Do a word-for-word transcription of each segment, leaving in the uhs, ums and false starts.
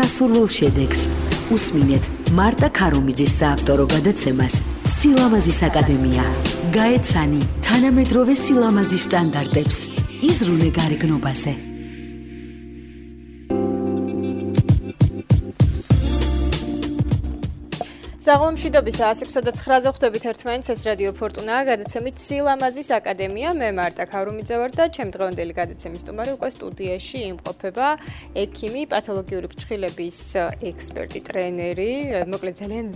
სასურველ შედეგს. უსმინეთ მარტა ქარუმიძის საავტორო გადაცემას სილამაზის აკადემია. გაეცანი თანამედროვე სილამაზის სტანდარტებს. იზრუნე გარეგნობაზე. საღამომშვიდობის ასი ოცდაოთხ ცხრაზე ხვდებით ერთმანეთს, ეს რადიო ფორტუნაა, გადაცემით სილამაზის აკადემია. მე მარტა ქარუმიძე ვარ და ჩემ დღევანდელი გადაცემის სტუმარი უკვე სტუდიაში იმყოფება ექიმი, პათოლოგიური ფრჩხილების ექსპერტი, ტრენერი, მოკლედ ძალიან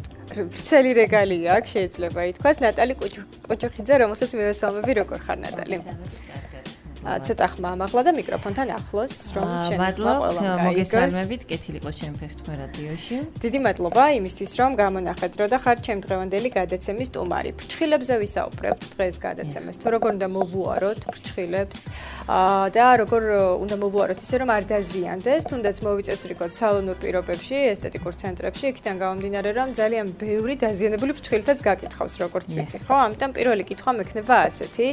ვრცელი რეგალია აქვს, შეიძლება ითქვას, ნატალი კუჩუხიძე, რომელსაც მივესალმები. როგორ ხარ, ნატალი? ცოტა ხმა ამაღლა და მიკროფონთან ახლოს, რომ შენ მადლობთ, მოგესალმებით, კეთილი იყოს ჩემი ფეხთმე რადიოში. დიდი მადლობა იმისთვის, რომ გამონახეთ დრო და ხართ ჩემ დღევანდელი გადაცემის სტუმარი. ფრჩხილებზე ვისაუბრებთ დღეს გადაცემას. თუ როგორ უნდა მოვუაროთ ფრჩხილებს და როგორ უნდა მოვუაროთ ისე, რომ არ დაზიანდეს, თუნდაც მოვიწესრიგოთ სალონურ პირობებში, ესთეტიკურ ცენტრებში, იქიდან გამომდინარე, რომ ძალიან ბევრი დაზიანებული ფრჩხილითაც გაკითხავს, როგორც ვიცი, ხო? ამიტომ პირველი კითხვა მექნება ასეთი.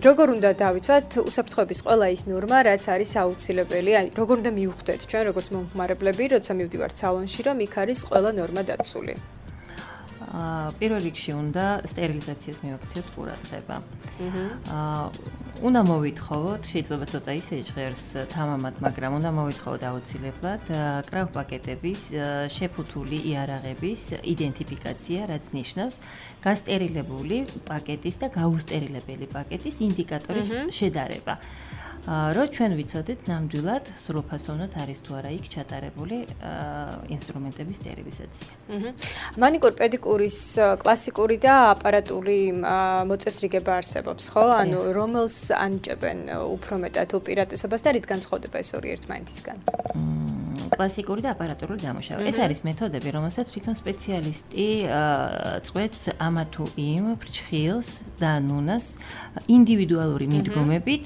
როგორ უნდა დავიცვათ უსაფრთხოების ყველა ის ნორმა, რაც არის აუცილებელი, აი როგორ უნდა მივხვდეთ ჩვენ როგორც მომხმარებლები, როცა მივდივართ სალონში, რომ იქ არის ყველა ნორმა დაცული. აა პირველ რიგში უნდა სტერილიზაციას მივაქციოთ ყურადღება. აა უნდა მოვითხოვოთ, შეიძლება ცოტა ისე ჟღერს თამამად, მაგრამ უნდა მოვითხოვოთ აუცილებლად კრავპაკეტების შეფუთული იარაღების იდენტიფიკაცია, რაც ნიშნავს გასტერილებული პაკეტის და გაუსტერილებელი პაკეტის ინდიკატორის შედარება. რო ჩვენ ვიცოდეთ ნამდვილად სრულფასოვნად არის თუ არა იქ ჩატარებული ინსტრუმენტების სტერილიზაცია. მანიკურ პედიკურის კლასიკური და აპარატული მოწესრიგება არსებობს, ხო? ანუ რომელს ანიჭებენ უფრო მეტად უპირატესობას და რით განსხვავდება ეს ორი ერთმანეთისგან? კლასიკური და აპარატურული დამუშავება. ეს არის მეთოდები, რომელსაც თვითონ სპეციალისტი წვეთს ამა თუ იმ ფრჩხილს და ნუნას ინდივიდუალური მიდგომებით,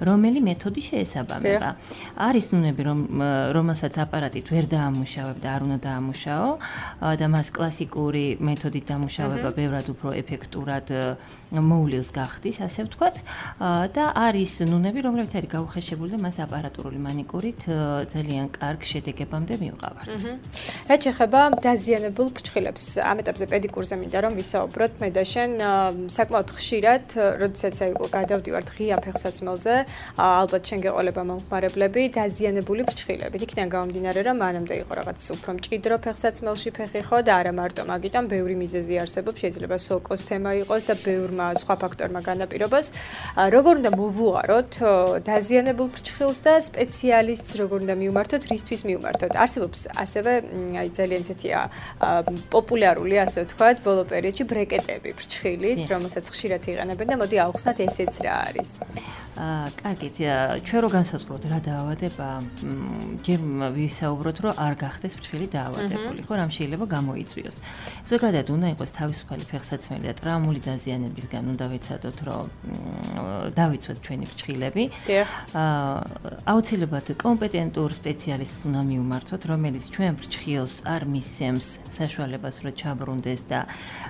რომელი მეთოდი შეესაბამება. არის ნუნები, რომ რომელსაც აპარატით ვერ დაამუშავებ და არ უნდა დაამუშაო და მას კლასიკური მეთოდით დამუშავება ბევრად უფრო ეფექტურად მოვლილს გახდის, ასე ვთქვათ. და არის ნუნები, რომლებიც არის გაუხეშებული და მას აპარატურული მანიკურით ძალიან კარგ შედეგებამდე მივყავართ. რაც შეეხება დაზიანებულ ფრჩხილებს, ამ ეტაპზე პედიკურზე მინდა რომ ვისაუბროთ მე და შენ საკმაოდ ხშირად, როდესაც აი გადავდივართ ღია ფეხსაცმელზე, ალბათ შენ გეყოლება მომხმარებლები დაზიანებული ფრჩხილებით. იქიდან გამომდინარე, რომ მანამდე იყო რაღაც უფრო მჭიდრო ფეხსაცმელში ფეხი ხო და არა მარტო მაგიტომ ბევრი მიზეზი არსებობს, შეიძლება სოკოს თემა იყოს და ბევრმა სხვა ფაქტორმა განაპირობას. როგორ უნდა მოვუაროთ დაზიანებულ ფრჩხილს და სპეციალისტს როგორ უნდა მივმართოთ, რისთვის მივმართოთ? არსებობს ასევე აი ძალიან ცეთია პოპულარული, ასე ვთქვათ, ბოლო პერიოდში ბრეკეტები ფრჩხილის, რომელსაც ხშირად იყენებენ და მოდი ავხსნათ ესეც რა არის. აა, კარგით, ჩვენ რო განსაზღვროთ რა დაავადება, ჯერ ვისაუბროთ, რომ არ გახდეს ფრჩხილი დაავადებული, ხო, რამ შეიძლება გამოიწვიოს. ზოგადად უნდა იყოს თავისუფალი ფეხსაცმელი და ტრაუმული დაზიანებისგან უნდა ვეცადოთ, რომ დავიცვათ ჩვენი ფრჩხილები. აა, აუცილებლად კომპეტენტურ სპეციალისტს უნდა მივმართოთ, რომელიც ჩვენ ფრჩხილს არ მისცემს საშუალებას, რომ ჩაბრუნდეს და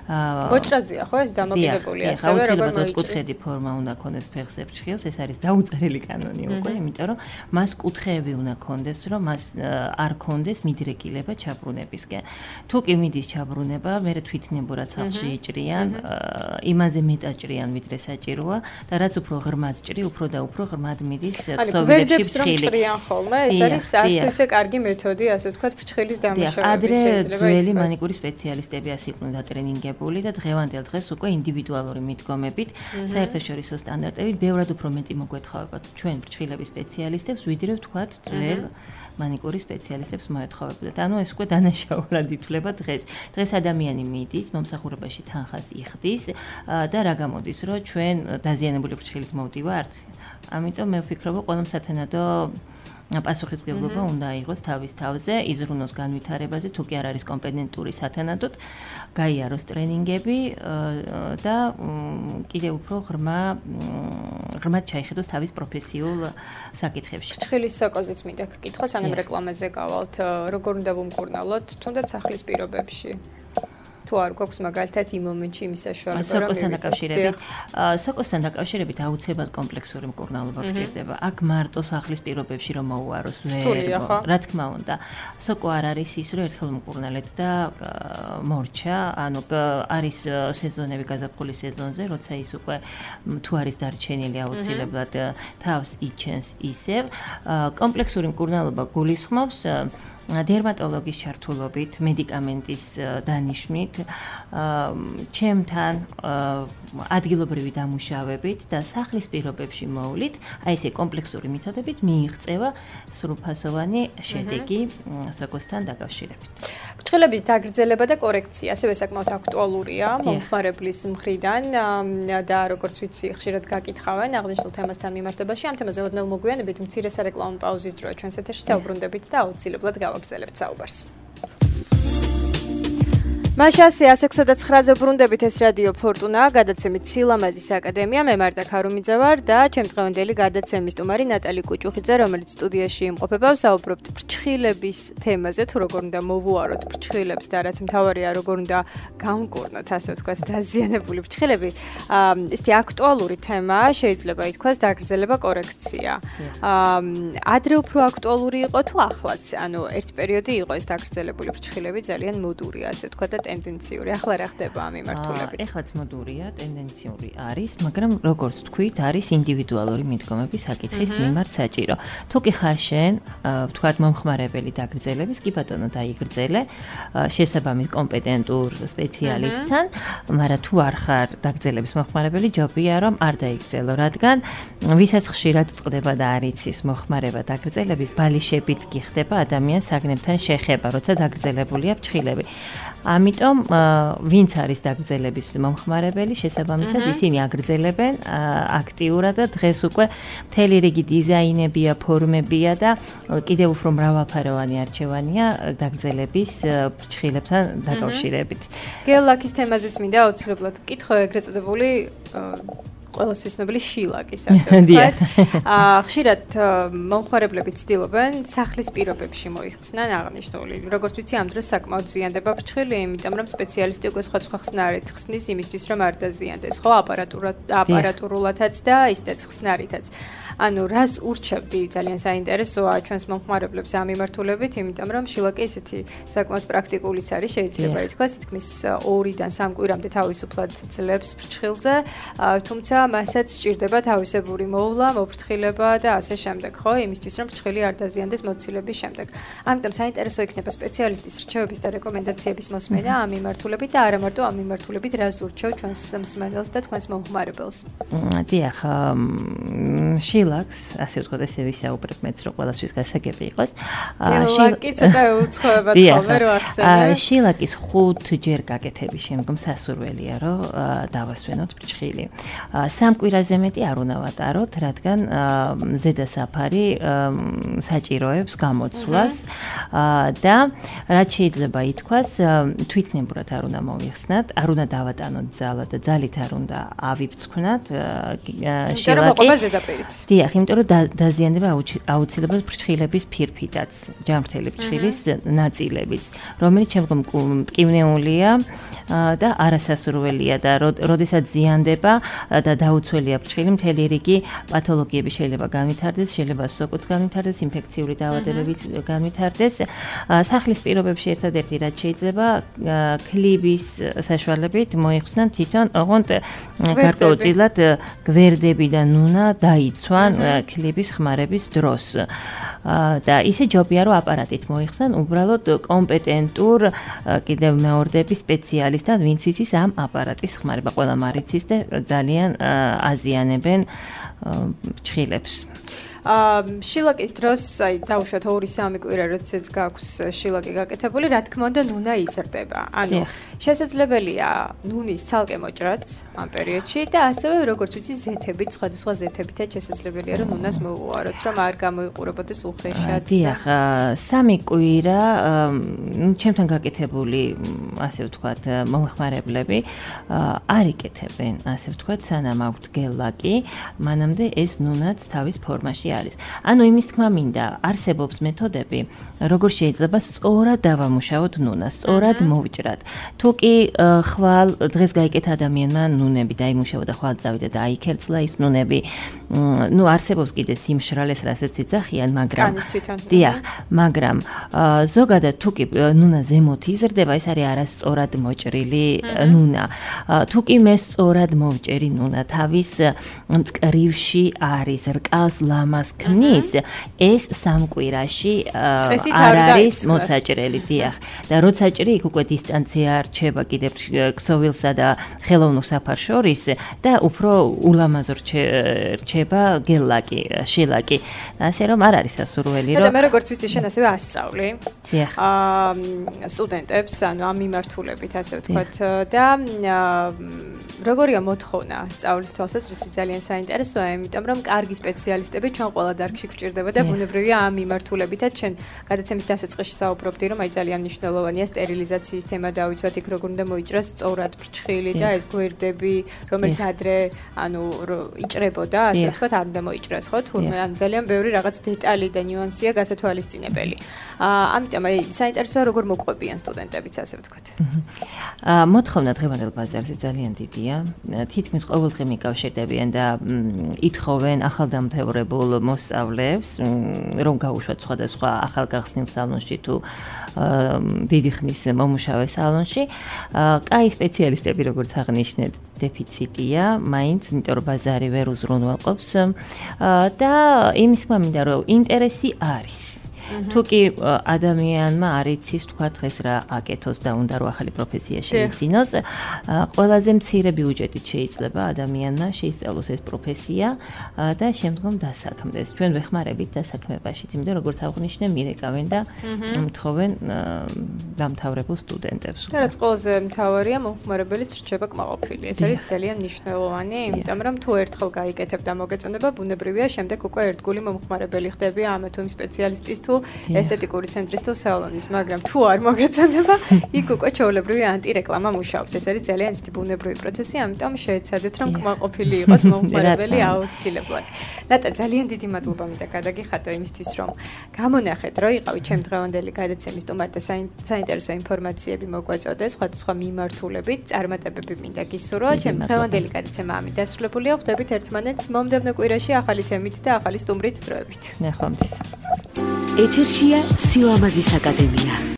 აა მოჭრაზეა, ხო, ეს დამოკიდებული ასევე, როგორ მოიჭრა. კუთხედი ფორმა უნდა ქონდეს ფეხზე ფრჩხილს, ეს არის დაუწერელი კანონი უკვე, იმიტომ რომ მას კუთხეები უნდა ქონდეს, რომ მას არ ქონდეს მიდრეკილება ჩაბრუნებისკენ. თუ კი მიდის ჩაბრუნება, მე თვითნებურად სახლში იჭრიან, იმაზე მეტად ჭრიან, ვიდრე საჭიროა და რაც უფრო ღრმად ჭრი, უფრო და უფრო ღრმად მიდის ქსოვილებში ფრჩხილი. ჭრიან ხოლმე, ეს არის არც თუ ისე კარგი მეთოდი, ასე ვთქვათ, ფრჩხილის დამუშავების შეიძლება. ადრე ძველი მანიკური სპეციალისტები ასე იყვნენ დატრენინგებული და დღევანდელ დღეს უკვე ინდივიდუალური მიდგომებით, საერთაშორისო სტანდარტებით ბევრად უფრო მეტი მოგვეთხოვებათ ჩვენ ფრჩხილების სპეციალისტებს, ვიდრე ვთქვათ ძველ მანიკური სპეციალისტებს მოეთხოვებოდათ. ანუ ეს უკვე დანაშაულად ითვლება დღეს. დღეს ადამიანი მიდის, მომსახურებაში თანხას იხდის და რა გამოდის, რომ ჩვენ დაზიანებული ფრჩხილით მოვდივართ. ამიტომ მე ვფიქრობ, რომ ყველა სათანადო პასუხისმგებლობა უნდა იყოს თავის თავზე, იზრუნოს განვითარებაზე, თუ კი არ არის კომპეტენტური სათანადოდ, გაიაროს ტრენინგები და კიდევ უფრო ღრმა ღრმად ჩაიხედოს თავის პროფესიულ საკითხებში. ფრჩხილის სოკოზეც მინდა გკითხვა, სანამ რეკლამაზე გავალთ, როგორ უნდა ვუმკურნალოთ, თუნდაც სახლის პირობებში? თუ არ გვაქვს მაგალითად იმ მომენტში იმის საშუალება რომ სოკოსთან დაკავშირებით სოკოსთან დაკავშირებით აუცილებლად კომპლექსური მკურნალობა გჭირდება. აქ მარტო სახლის პირობებში რომ მოუაროს ვერ რა თქმა უნდა. სოკო არ არის ის რომ ერთხელ მკურნალეთ და მორჩა, ანუ არის სეზონები გაზაფხულის სეზონზე, როცა ის უკვე თუ არის დარჩენილი აუცილებლად თავს იჩენს ისევ. კომპლექსური მკურნალობა გულისხმობს დერმატოლოგის ჩართულობით, მედიკამენტის დანიშვნით, ჩემთან ადგილობრივი დამუშავებით და სახლის პირობებში მოვლით, აი ესე კომპლექსური მეთოდებით მიიღწევა სრულფასოვანი შედეგი სოკოსთან დაკავშირებით. ფრჩხილების დაგრძელება და კორექცია ასევე საკმაოდ აქტუალურია მომხმარებლის მხრიდან და როგორც ვიცი, ხშირად გაკითხავენ აღნიშნულ თემასთან მიმართებაში. ამ თემაზე ოდნავ მოგვიანებით მცირე სარეკლამო პაუზის დროა ჩვენს ეთერში დავუბრუნდებით და აუცილებლად გავაგრძელებთ საუბარს. მაშასე ასე ექვსი და ცხრაზე ბრუნდებით ეს რადიო ფორტუნა, გადაცემით სილამაზის აკადემია, მე მართა ქარუმიძე ვარ და ჩემი დღევანდელი გადაცემის სტუმარი ნატალი კუჭუხიძე, რომელიც სტუდიაში იმყოფება, ვსაუბრობთ ფრჩხილების თემაზე, თუ როგორ უნდა მოვუაროთ ფრჩხილებს და რაც მთავარია, როგორ უნდა გამკურნოთ, ასე ვთქვათ, დაზიანებული ფრჩხილები. ესეთი აქტუალური თემა შეიძლება ითქვას დაგრძელება კორექცია. ადრე უფრო აქტუალური იყო თუ ახლაც, ანუ ერთ პერიოდი იყო ეს დაგრძელებული ფრჩხილები ძალიან მოდური, ასე ვთქვათ და ტენდენციური. ახლა რა ხდება ამ მიმართულებით? ეხლაც მოდურია, ტენდენციური არის, მაგრამ როგორც თქვით, არის ინდივიდუალური მიდგომების საკითხის მიმართ საჭირო. თუ კი ხარ შენ, ვთქვათ, მომხმარებელი დაგრძელების, კი ბატონო დაიგრძელე შესაბამის კომპეტენტურ სპეციალისტთან, მაგრამ თუ არ ხარ დაგრძელების მომხმარებელი, ჯობია რომ არ დაიგრძელო, რადგან ვისაც ხშირად წყდება და არ იცის მომხმარება დაგრძელების, ბალიშებით გიხდება ადამიანს საგნებთან შეხება, როცა დაგრძელებულია ფრჩხილები. ამიტომ ვინც არის დაგრძელების მომხმარებელი, შესაბამისად ისინი აგრძელებენ აქტიურად და დღეს უკვე მთელი რიგი დიზაინებია, ფორმებია და კიდევ უფრო მრავალფეროვანი არჩევანია დაგრძელების ფრჩხილებთან დაკავშირებით. გელ-ლაქის თემაზეც მინდა აუცილებლად კითხო ეგრეთ წოდებული ყველასთვის ცნობილი შილაკის, ასე ვთქვათ. ხშირად მომხმარებლები ცდილობენ სახლის პირობებში მოიხსნან აღნიშნული. როგორც ვიცი, ამ დროს საკმაოდ ზიანდება ფრჩხილი, იმიტომ რომ სპეციალისტი უკვე სხვა-სხვა ხსნარით ხსნის იმისთვის, რომ არ დაზიანდეს, ხო, აპარატურად, აპარატურულათაც და ისეც ხსნარითაც. ანუ რას ურჩევდი ძალიან საინტერესოა ჩვენს მომხმარებლებს ამ მიმართულებით, იმიტომ რომ შილაკი ესეთი საკმაოდ პრაქტიკულიც არის, შეიძლება ითქვას, თითქმის ორიდან სამ კვირამდე თავისუფლად ძლებს ფრჩხილზე, თუმცა მასაც სჭირდება თავისებური მოვლა, მოფრთხილება და ასე შემდეგ, ხო, იმისთვის რომ ფრჩხილი არ დაზიანდეს მოცილების შემდეგ. ამიტომ საინტერესო იქნება სპეციალისტის რჩევების და რეკომენდაციების მოსმენა ამ მიმართულებით და არა მარტო ამ მიმართულებით, რას ურჩევ ჩვენს მსმენელს და თქვენს მომხმარებელს. დიახ, შილაკს, ასე ვთქვათ, ესე ვისაუბრებ მეც რომ ყველასთვის გასაგები იყოს. შილაკი ცოტა უცხოება თქო, რო ახსენე. შილაკის ხუთჯერ გაკეთების შემდგომ სასურველია, რომ დავასვენოთ ფრჩხილი. სამ კვირაზე მეტი არ უნდა ვატაროთ, რადგან ზედა საფარი საჭიროებს გამოცვლას და რაც შეიძლება ითქვას, თვითნებურად არ უნდა მოვიხსნათ, არ უნდა დავატანოთ ძალა და ძალით არ უნდა ავიფცვნათ შილაკი. დიახ, იმიტომ რომ დაზიანდება აუცილებლად ფრჩხილების ფირფიტაც, ჯამრთელი ფრჩხილის ნაწილებიც, რომელიც შემდგომ მტკივნეულია და არასასურველია და როდესაც ზიანდება და დაუცველია ფრჩხილი, მთელი რიგი პათოლოგიები შეიძლება განვითარდეს, შეიძლება სოკოც განვითარდეს, ინფექციური დაავადებებიც განვითარდეს. სახლის პირობებში ერთადერთი რაც შეიძლება ქლიბის საშუალებით მოიხსნან თვითონ, ოღონდ გარკვეულწილად გვერდები და ნუნა დაიცვან ქლიბის ხმარების დროს. და ისე ჯობია რომ აპარატით მოიხსნან უბრალოდ კომპეტენტურ კიდევ მეორდები სპეციალისტთან, ვინც იცის ამ აპარატის ხმარება. ყველა მარიცის და ძალიან აზიანებენ ფრჩხილებს. შილაკის დროს, აი, დავუშვათ ორი სამი კვირა, როდესაც გაქვს შილაკი გაკეთებული, რა თქმა უნდა, ნუნა იზრდება. ანუ შესაძლებელია ნუნის ცალკე მოჭრაც ამ პერიოდში და ასევე როგორც ვიცი, ზეთებით, სხვადასხვა ზეთებითაც შესაძლებელია რომ ნუნას მოვუაროთ, რომ არ გამოიყურებოდეს უხეშად. დიახ, სამი კვირა, ნუ ჩემთან გაკეთებული, ასე ვთქვათ, მომხმარებლები არ იკეთებენ, ასე ვთქვათ, სანამ აქვთ გელ-ლაკი, მანამდე ეს ნუნაც თავის ფორმაში არის. ანუ იმის თქმა მინდა, არსებობს მეთოდები, როგორ შეიძლება სწორად დავამუშავოთ ნუნას, სწორად მოვჭრათ. თუ კი ხვალ დღეს გაიკეთა ადამიანმა ნუნები დაიმუშავა და ხვალ წავიდა და აიქერცლა ის ნუნები, ну არსებობს კიდე სიმშრალეს, რასაც იცახიან, მაგრამ დიახ, მაგრამ ზოგადად თუ კი ნუნა ზემოთ იზრდება, ეს არის არასწორად მოჭრილი ნუნა. თუ კი მე სწორად მოვჭერი ნუნა თავის მწკრივში არის, რკალს ლამას ქმნის, ეს სამკვირაში არ არის მოსაჭრელი, დიახ. და როცა ჭრი, იქ უკვე დისტანცია რჩება კიდევ ქსოვილსა და ხელოვნურ საფარს შორის და უფრო ულამაზო რჩება გელაკი, შილაკი. ასე რომ არ არის სასურველი, რომ და მე როგორც ვიცი, შენ ასევე ასწავლი. დიახ. აა სტუდენტებს, ანუ ამ მიმართულებით, ასე ვთქვათ, და როგორია მოთხოვნა სწავლის თვალსაზრისით ძალიან საინტერესოა, იმიტომ რომ კარგი სპეციალისტები ჩვენ ყველა დარგში გვჭირდება და ბუნებრივია ამ მიმართულებითაც ჩვენ გადაცემის დასაწყისში საუბრობდი, რომ აი ძალიან მნიშვნელოვანია სტერილიზაციის თემა დავიცვათ, იქ როგორ უნდა მოიჭრას სწორად ფრჩხილი და ეს გვერდები, რომელიც ადრე ანუ იჭრებოდა, ასე ვთქვათ, არ უნდა მოიჭრას, ხო? თურმე ანუ ძალიან ბევრი რაღაც დეტალი და ნიუანსია გასათვალისწინებელი. აა ამიტომ აი საინტერესოა როგორ მოყვებიან სტუდენტებიც, ასე ვთქვათ. აა მოთხოვნა დღევანდელ ბაზარზე ძალიან დიდია. თითქმის ყოველდღე მიკავშირდებიან და ითხოვენ ახალდამთავრებულ მოსწავლეებს, რომ გაუშვათ სხვადასხვა ახალგახსნილ სალონში თუ დიდი ხნის მომუშავე სალონში. კაი სპეციალისტები, როგორც აღნიშნეთ, დეფიციტია, მაინც, იმიტომ რომ ბაზარი ვერ უზრუნველყოფს და იმის თქმა მინდა, რომ ინტერესი არის. თუ კი ადამიანმა არ იცის თქვა დღეს რა აკეთოს და უნდა რომ ახალი პროფესია შეიძინოს, ყველაზე მცირე ბიუჯეტით შეიძლება ადამიანმა შეისწავლოს ეს პროფესია და შემდგომ დასაქმდეს. ჩვენ ვეხმარებით დასაქმებაშიც, იმიტომ როგორც აღნიშნე, მირეკავენ და მთხოვენ დამთავრებულ სტუდენტებს. და რაც ყველაზე მთავარია, მომხმარებელიც რჩება კმაყოფილი. ეს არის ძალიან მნიშვნელოვანი, იმიტომ რომ თუ ერთხელ გაიკეთებ და მოგეწონება, ბუნებრივია, შემდეგ უკვე ერთგული მომხმარებელი ხდები ამ თუ იმ სპეციალისტის თუ ესთეტიკური ცენტრის თუ სალონის, მაგრამ თუ არ მოგეწონება, იქ უკვე ჩვეულებრივი ანტირეკლამა მუშაობს. ეს არის ძალიან ისეთი ბუნებრივი პროცესი, ამიტომ შეეცადეთ, რომ კმაყოფილი იყოს მომხმარებელი აუცილებლად. ნატა, ძალიან დიდი მადლობა მინდა გადაგიხადო იმისთვის, რომ გამონახეთ, რომ იყავით ჩემ დღევანდელი გადაცემის სტუმარი და საინტერესო ინფორმაციები მოგვაწოდეს სხვადასხვა მიმართულებით, წარმატებები მინდა გისურვო. ჩემ დღევანდელი გადაცემა ამით დასრულებულია. ხვდებით ერთმანეთს მომდევნო კვირაში ახალი თემით და ახალი სტუმრით დროებით. ნახვამდის. ეთერშია სილამაზის აკადემია.